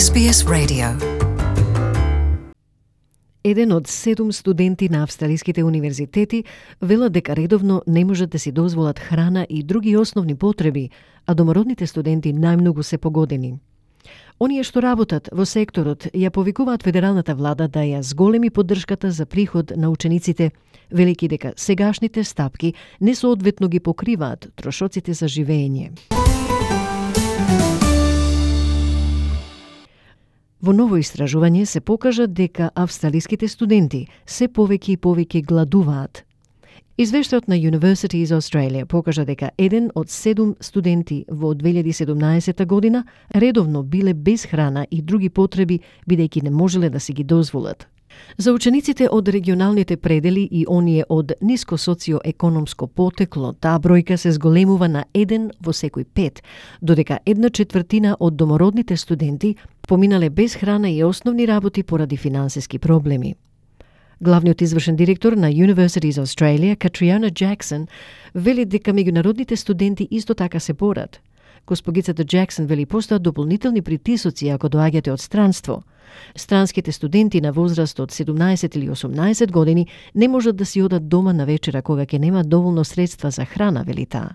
SBS Radio. Еден од 7 студенти на австралиските универзитети велат дека редовно не можат да си дозволат храна и други основни потреби, а домородните студенти најмногу се погодени. Оние што работат во секторот ја повикуваат федералната влада да ја зголеми поддршката за приход на учениците, велики дека сегашните стапки несоодветно ги покриваат трошоците за живење. Во ново истражување се покажа дека австралиските студенти се повеќе и повеќе гладуваат. Извештајот на Universities Australia покажа дека еден од 7 студенти во 2017 година редовно биле без храна и други потреби, бидејќи не можеле да си ги дозволат. За учениците од регионалните предели и оние од ниско социоекономско потекло, таа бројка се зголемува на 1 во секој 5, додека 1/4 од домородните студенти поминале без храна и основни работи поради финансиски проблеми. Главниот извршен директор на Universities Australia, Catriona Jackson, вели дека меѓународните студенти исто така се борат. Госпогицата Джексон вели постојат дополнителни притисоци ако доаѓате од странство. Странските студенти на возраст од 17 или 18 години не можат да си одат дома на вечера кога ќе немаат доволно средства за храна, вели таа.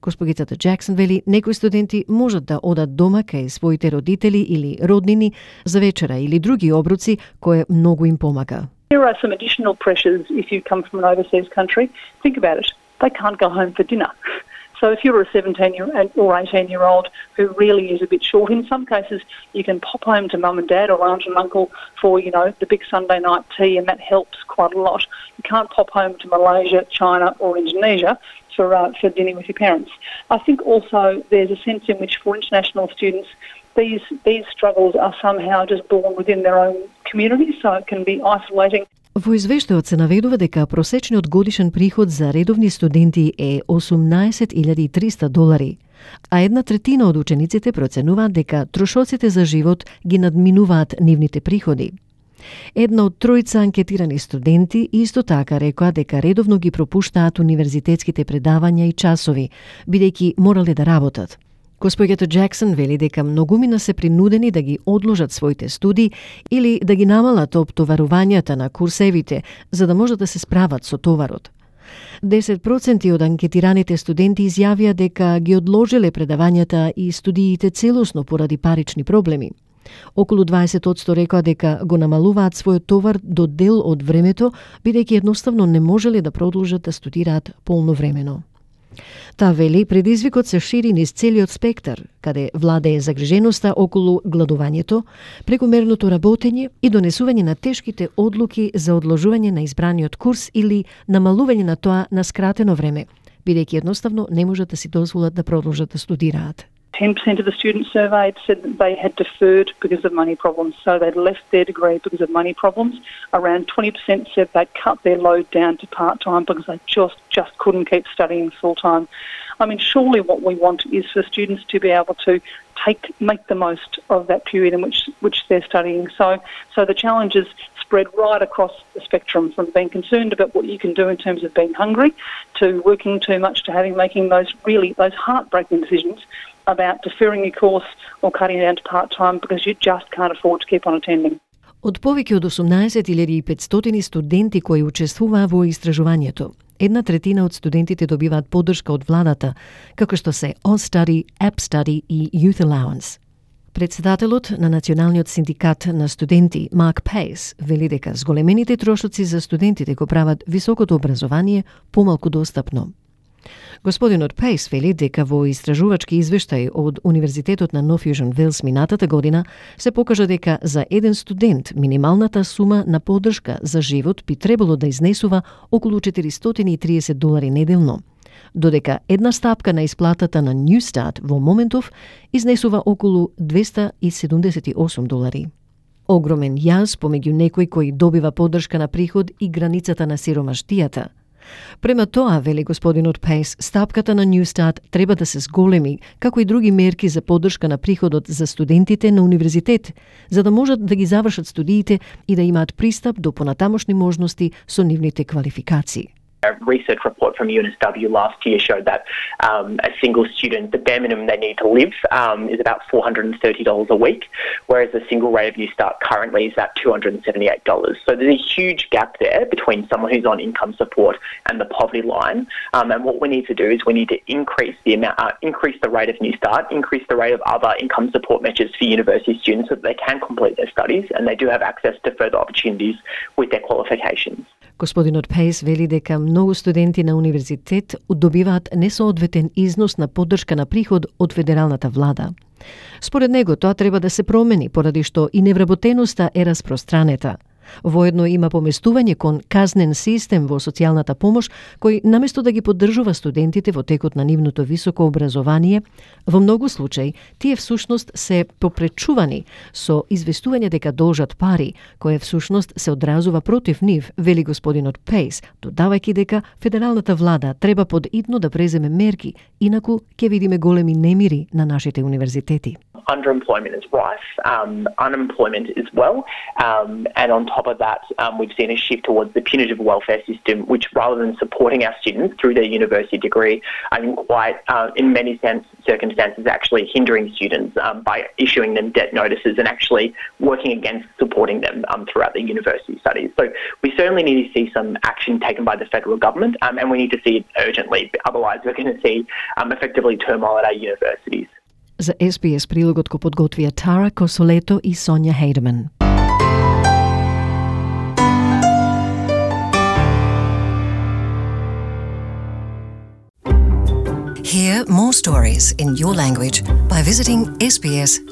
Госпогицата Джексон вели некои студенти можат да одат дома кај своите родители или роднини за вечера или други обруци кое многу им помага. There are some additional pressures if you come from an overseas country. Think about it. They can't go home for dinner. So if you're a 17 or 18-year-old who really is a bit short, in some cases you can pop home to mum and dad or aunt and uncle for, the big Sunday night tea, and that helps quite a lot. You can't pop home to Malaysia, China or Indonesia for dinner with your parents. I think also there's a sense in which for international students these struggles are somehow just born within their own community, so it can be isolating. Во извештајот се наведува дека просечниот годишен приход за редовни студенти е $18,300, а 1/3 од учениците проценуваат дека трошоците за живот ги надминуваат нивните приходи. Една од 3 анкетирани студенти исто така рекоа дека редовно ги пропуштаат универзитетските предавања и часови, бидејќи морале да работат. Госпоѓата Джексон вели дека многумина се принудени да ги одложат своите студии или да ги намалат оптоварувањата на курсевите, за да можат да се справат со товарот. 10% од анкетираните студенти изјавија дека ги одложиле предавањата и студиите целосно поради парични проблеми. Околу 20% рекоа дека го намалуваат својот товар до дел од времето, бидејќи едноставно не можеле да продолжат да студираат полновремено. Таа вели предизвикот се шири низ целиот спектар, каде владее загриженоста околу гладувањето, прекумерното работење и донесување на тешките одлуки за одложување на избраниот курс или намалување на тоа на скратено време, бидејќи едноставно не можат да си дозволат да продолжат да студираат. 10% of the students surveyed said that they had deferred because of money problems, so they'd left their degree because of money problems. Around 20% said they'd cut their load down to part-time because they just couldn't keep studying full-time. I mean, surely what we want is for students to be able to make the most of that period in which they're studying. So the challenges spread right across the spectrum, from being concerned about what you can do in terms of being hungry to working too much to making those heartbreaking decisions about deferring your course or cutting it down to part-time because you just can't afford to keep on attending. Од повеќе од 18,500 студенти кои учествуваа во истражувањето, 1/3 од студентите добиваат поддршка од владата, како што се OnStudy, AppStudy и Youth Allowance. Председателот на Националниот синдикат на студенти, Марк Пейс, вели дека зголемените трошоци за студентите го прават високото образование помалку достапно. Господинот Пейс вели дека во истражувачки извештај од Универзитетот на North Fusion Wales минатата година се покажа дека за еден студент минималната сума на поддршка за живот би требало да изнесува околу $430 неделно, додека една стапка на исплатата на Newstart во моментов изнесува околу $278. Огромен јаз помеѓу некој кој добива поддршка на приход и границата на сиромаштијата. Према тоа, вели господинот Пейс, стапката на Newstart треба да се зголеми, како и други мерки за поддршка на приходот за студентите на универзитет, за да можат да ги завршат студиите и да имаат пристап до понатамошни можности со нивните квалификации. A research report from UNSW last year showed that a single student, the bare minimum they need to live is about $430 a week, whereas the single rate of New Start currently is at $278. So there's a huge gap there between someone who's on income support and the poverty line. And what we need to do is we need to increase the rate of New Start, increase the rate of other income support measures for university students so that they can complete their studies and they do have access to further opportunities with their qualifications. Господинот Пейс вели дека многу студенти на универзитет добиваат несоодветен износ на поддршка на приход од федералната влада. Според него тоа треба да се промени поради што и невработеноста е распространета. Воедно има поместување кон казнен систем во социјалната помош, кој наместо да ги поддржува студентите во текот на нивното високо образование, во многу случаи тие всушност се попречувани со известување дека должат пари, кое всушност се одразува против нив, вели господинот Пейс, додавајќи дека федералната влада треба подитно да преземе мерки, инаку ќе видиме големи немири на нашите универзитети. Underemployment is rife, unemployment as well, and on top of that, we've seen a shift towards the punitive welfare system, which rather than supporting our students through their university degree, I think quite, in many circumstances, actually hindering students by issuing them debt notices and actually working against supporting them throughout their university studies. So we certainly need to see some action taken by the federal government, and we need to see it urgently. Otherwise, we're going to see effectively turmoil at our universities. За SBS прилогот го подготвија Тара Косолето и Сонја Хейдман. Hear more stories in your language by visiting sbs.com.au.